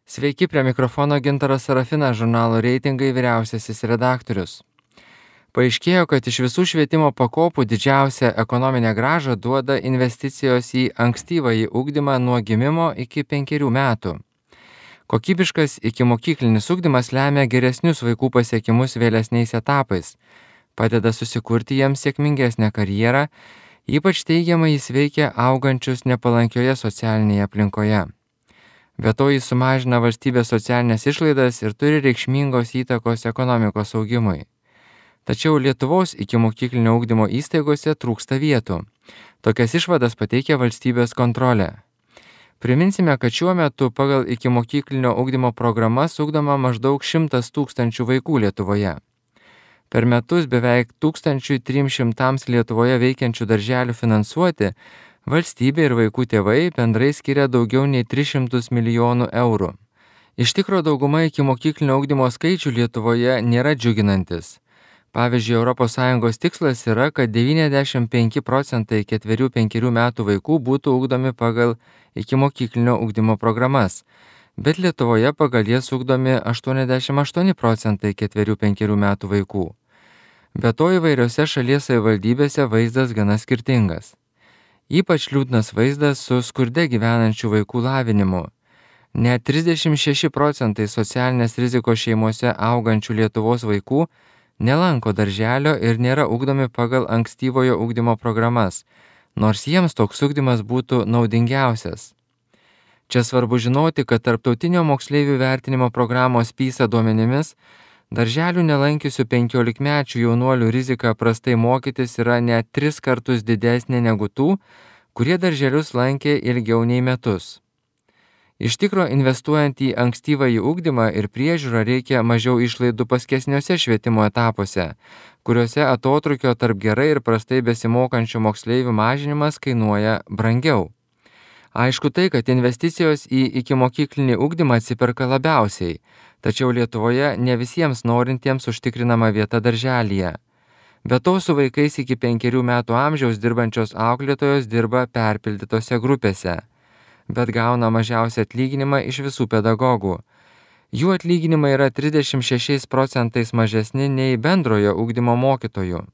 Sveiki, prie mikrofono Gintaras Sarafinas, žurnalo Reitingai vyriausiasis redaktorius. Paaiškėjo, kad iš visų švietimo pakopų didžiausią ekonominę grąžą duoda investicijos į ankstyvąjį ugdymą nuo gimimo iki 5 metų. Kokybiškas ikimokyklinis ugdymas lemia geresnius vaikų pasiekimus vėlesniais etapais, padeda susikurti jiems sėkmingesnę karjerą, ypač teigiamai jis veikia augančius nepalankioje socialinėje aplinkoje. Be to jis sumažina valstybės socialinės išlaidas ir turi reikšmingos įtakos ekonomikos augimui. Tačiau Lietuvos ikimokyklinio ugdymo įstaigose trūksta vietų. Tokias išvadas pateikia valstybės kontrolė. Priminsime, kad šiuo metu pagal ikimokyklinio ugdymo programas ugdoma maždaug 100 000 vaikų Lietuvoje. Per metus beveik 1300 Lietuvoje veikiančių darželių finansuoti valstybė ir vaikų tėvai bendrai skiria daugiau nei 300 milijonų eurų. Iš tikro dauguma ikimokyklinio ugdymo skaičių Lietuvoje nėra džiuginantis. Pavyzdžiui, ES tikslas yra, kad 95 procentai 4-5 metų vaikų būtų ugdomi pagal ikimokyklinio ugdymo programas, bet Lietuvoje pagal jas ugdomi 88 procentai 4-5 metų vaikų. Be to įvairiose šalies savivaldybėse vaizdas gana skirtingas. Ypač liūdnas vaizdas su skurde gyvenančių vaikų lavinimu. Net 36 procentai socialinės rizikos šeimose augančių Lietuvos vaikų nelanko darželio ir nėra ugdomi pagal ankstyvojo ugdymo programas, nors jiems toks ugdymas būtų naudingiausias. Čia svarbu žinoti, kad tarptautinio moksleivių vertinimo programos PISA duomenimis darželių nelankiusių 15-mečių jaunuolių rizika prastai mokytis yra net 3 kartus didesnė negu tų, kurie darželius lankė ilgiau nei metus. Iš tikro, investuojant į ankstyvąjį ugdymą ir priežiūrą reikia mažiau išlaidų paskesniuose švietimo etapuose, kuriuose atotrūkio tarp gerai ir prastai besimokančių moksleivių mažinimas kainuoja brangiau. Aišku tai, kad investicijos į ikimokyklinį ugdymą atsiperka labiausiai, tačiau Lietuvoje ne visiems norintiems užtikrinama vieta darželyje. Be to su vaikais iki 5 metų amžiaus dirbančios auklėtojos dirba perpildytose grupėse, bet gauna mažiausią atlyginimą iš visų pedagogų. Jų atlyginimai yra 36 procentais mažesni nei bendrojo ugdymo mokytojų.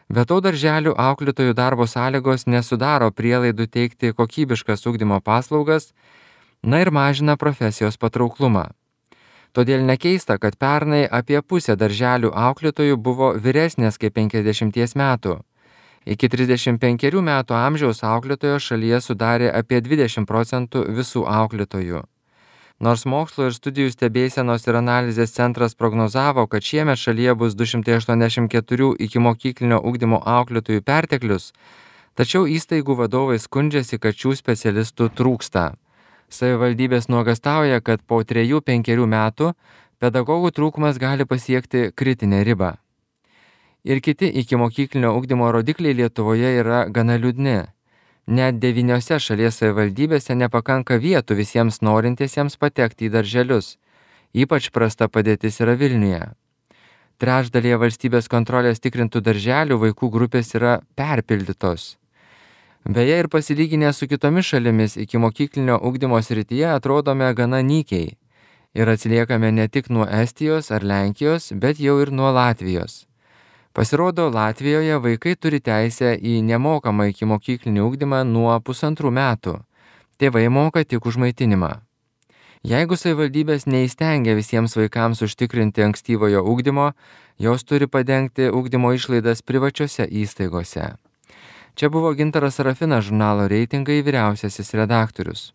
Be to darželių auklėtojų darbo sąlygos nesudaro prielaidų teikti kokybiškas ugdymo paslaugas, ir mažina profesijos patrauklumą. Todėl nekeista, kad pernai apie pusę darželių auklėtojų buvo vyresnės kaip 50 metų. Iki 35 metų amžiaus auklėtojo šalyje sudarė apie 20 procentų visų auklėtojų. Nors mokslo ir studijų stebėsenos ir analizės centras prognozavo, kad šiemet šalyje bus 284 ikimokyklinio ugdymo auklėtojų perteklius, tačiau įstaigų vadovai skundžiasi, kad šių specialistų trūksta. Savivaldybės nuogastauja, kad po 3-5 metų pedagogų trūkumas gali pasiekti kritinę ribą. Ir kiti ikimokyklinio ugdymo rodikliai Lietuvoje yra gana liūdni. Net 9 šalies savivaldybėse nepakanka vietų visiems norintiesiems patekti į darželius. Ypač prasta padėtis yra Vilniuje. Trečdalyje valstybės kontrolės tikrintų darželių vaikų grupės yra perpildytos. Beje, ir pasilyginę su kitomis šalimis ikimokyklinio ugdymo srityje atrodome gana nykiai. Ir atsiliekame ne tik nuo Estijos ar Lenkijos, bet jau ir nuo Latvijos. Pasirodo, Latvijoje vaikai turi teisę į nemokamą ikimokyklinį ugdymą nuo 1,5 metų. Tėvai moka tik už maitinimą. Jeigu savivaldybės neįstengia visiems vaikams užtikrinti ankstyvojo ugdymo, jos turi padengti ugdymo išlaidas privačiose įstaigose. Čia buvo Gintaras Sarafinas, žurnalo Reitingai vyriausiasis redaktorius.